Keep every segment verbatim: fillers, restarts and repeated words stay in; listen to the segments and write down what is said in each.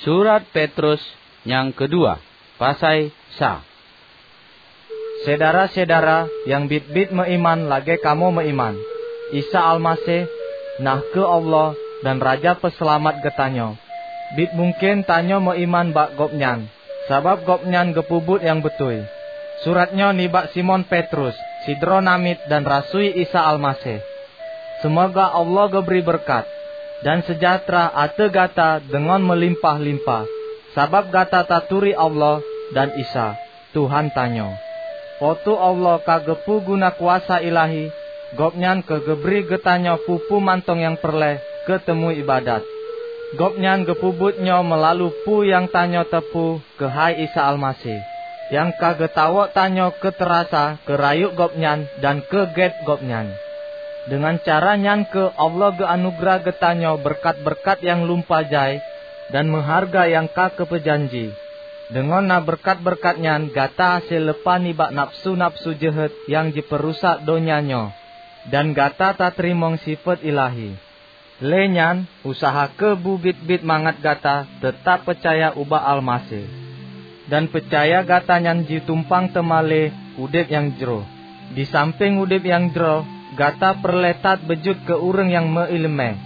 Surat Petrus nyang keudua, pasai sa. Syedara-syedara nyang biet-biet meuiman lagée kamoe meuiman, Isa Almaseh, na kheueh Allah dan Raja Peuseulamat geutanyoe. Biet mungken tanyoe meuiman bak Gobnyan, sabab Gobnyan geupeubuet nyang beutôi. Surat nyoe nibak Simon Petrus, sidroe namiet dan rasui Isa Almaseh. Seumoga Allah geubri beureukat dan seujahteura ateueh gata deungon meulimpah-limpah, sabab gata taturi Allah dan Isa, Tuhan tanyoe. Po teu Allah ka geupeu guna kuasa ilahi Gobnyan keu geubri geutanyoe peue-peue mantong nyang peureulée keu teumeuibadat. Gobnyan geupeubuet nyoe meulalu peue nyang tanyoe teupeu keuhai Isa Almaseh, nyang ka geutawök tanyoe keu teurasa keu rayeuk Gobnyan dan keu gét Gobnyan. Deungon cara nyan kheueh Allah geuanugeurah geutanyoe beureukat-beureukat nyang lumpah jai dan meuhareuga nyang ka geupeujanji. Deungon na beureukat-beureukat nyan gata hase leupah nibak nafeusu-nafeusu jeuhet nyang jipeurusak donya nyoe, dan gata tateurimong sifeuet ilahi. Lé nyan, useuha kheueh beubiet-biet mangat gata teutab peucaya ubak Almaseh. Dan peucaya gata nyan jitumpang teuma lé udeb nyang jroh. Disampéng udeb nyang jroh, gata peureulée that beujeuet keu ureuëng nyang meuiéleumé.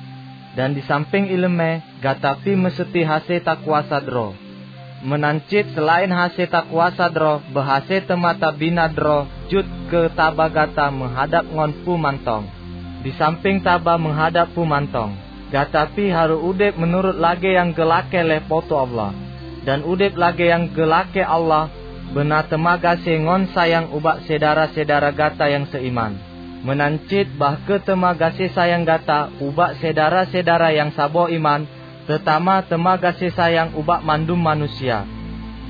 Dan disampéng iéleumé, gata pih meuseuti hase takuasa droe. Meunan cit seulaén hase takuasa droe, beuhase teuma tabina droe jeuet keu taba gata meuhadab ngon peue mantong. Disampéng taba meuhadab peue mantong, gata pih harôh udeb meunurot lagée nyang geulakée lé Po teu Allah. Dan udeb lagée nyang geulakée Allah beuna teuma gaséh ngon sayang ubak syedara-syedara gata nyang seuiman. Meunan cit bah kheueh teuma gaséh sayang gata ubak syedara-syedara nyang saboh iman, teutama teuma gaséh sayang ubak mandum manusia.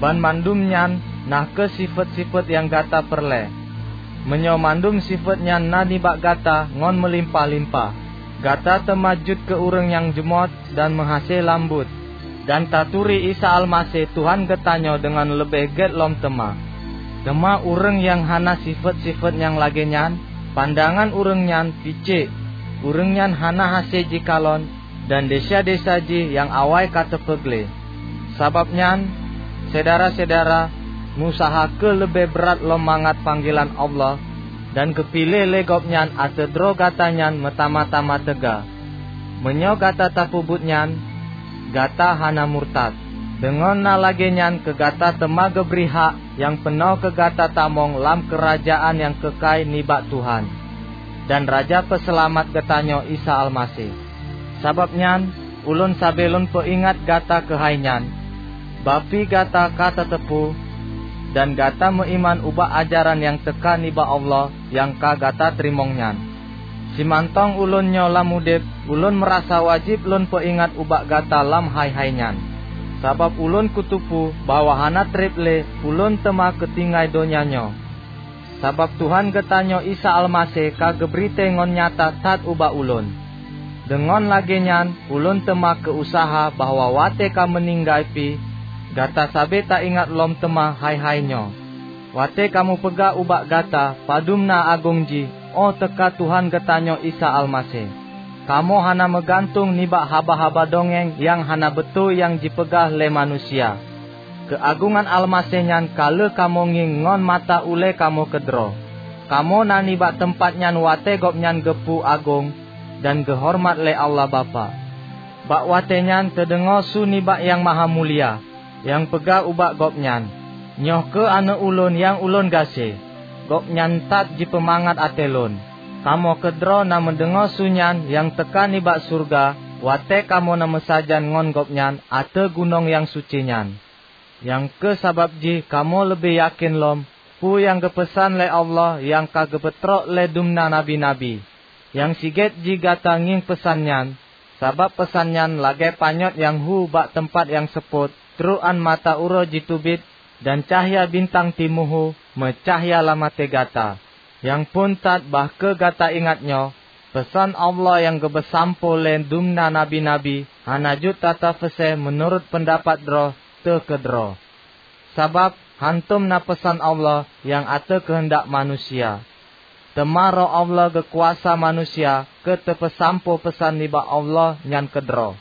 Banmandum nyan na kheueh sifeuet-sifeuet nyang gata peureulée. Meunyoe mandum sifeuet nyan na nibak gata ngon meulimpah-limpah, gata teuma jeuet keu ureuëng nyang jeumot dan meuhase lambot, dan taturi Isa Almaseh Tuhan geutanyoe deungon leubeh gét lom teuma. Teuma ureuëng nyang hana sifeuet-sifeuet nyang lagée nyan, pandangan ureuëng nyan picék, ureuëng nyan hana hase jikalon, dan desya-desya jih nyang awai ka teupeugleh. Sabab nyan, syedara-syedara, meusaha kheueh leubeh brat lom mangat panggilan Allah, dan geupiléh lé Gobnyan ateueh droe gata nyan meutamah-tamah teuga. Meunyoe gata tapeubuet nyan, gata hana murtad. Deungon na lagée nyan keu gata teuma geubri hak nyang peunoh keu gata tamong lam keurajeuen nyang keukai nibak Tuhan dan Raja Peuseulamat geutanyoe Isa Almaseh. Sabab nyan, ulôn sabe lôn peuingat gata keuhai nyan, bah pih gata ka tateupeue, dan gata meuiman ubak ajaran nyang teuka nibak Allah nyang ka gata teurimong nyan. Simantong ulôn nyoe lam udeb, ulôn meurasa wajéb lôn peuingat ubak gata lam hai-hai nyan. Sabab ulôn kuteupeue bahwa hana treb lé ulôn teuma keu tinggai donya nyoe. Sabab Tuhan geutanyoe Isa Almaseh ka geubri tée ngon nyata that ubak ulôn. Deungon lagée nyan ulôn teuma keu useuha bahwa watée ka meuninggai pih, gata sabe taingat lom teuma hai-hai nyoe. Watée kamoe peugah ubak gata padum na agong jih óh teuka Tuhan geutanyoe Isa Almaseh, kamoe hana meugantung nibak haba-haba dongeng nyang hana beutôi nyang jipeugah lé manusia. Keuagongan Almaseh nyan ka lheueh kamoe ngieng ngon mata ulée kamoe keudroe. Kamoe na nibak teumpat nyan watée Gobnyan geupeu agong dan geuhoreumat lé Allah Bapak. Bak watée nyan teudeungoe su nibak Nyang Mahamulia nyang peugah ubak Gobnyan, "Nyoe kheueh Aneuëk ulôn nyang ulôn gaséh. Gobnyan that jipeumangat até lôn." Kamoe keudroe na meudeungoe su nyan nyang teuka nibak syeuruga watée kamoe na meusajan ngon Gobnyan ateueh gunong nyang suci nyan. Nyang kheueh sabab jih kamoe leubeh yakén lom peue nyang geupeusan lé Allah nyang ka geupeutrok lé dumna nabi-nabi. Nyang sigét jih gata ngieng peusan nyan, sabab peusan nyan lagée panyöt nyang hu bak teumpat nyang seupôt, trok án mata uroe jiteubiet dan cahya bintang timu hu meucahya lam até gata. Nyang phon that bah kheueh gata ingat nyoe, peusan Allah nyang geupeusampoe lé dumna nabi-nabi hana jeuet tatapeusée meunurot peundapat droe teuh keudroe. Sabab hántom na peusan Allah nyang ateueh keuheundak manusia, teuma Roh Allah geukuasa manusia keu teupeusampoe peusan nibak Allah nyan keudroe.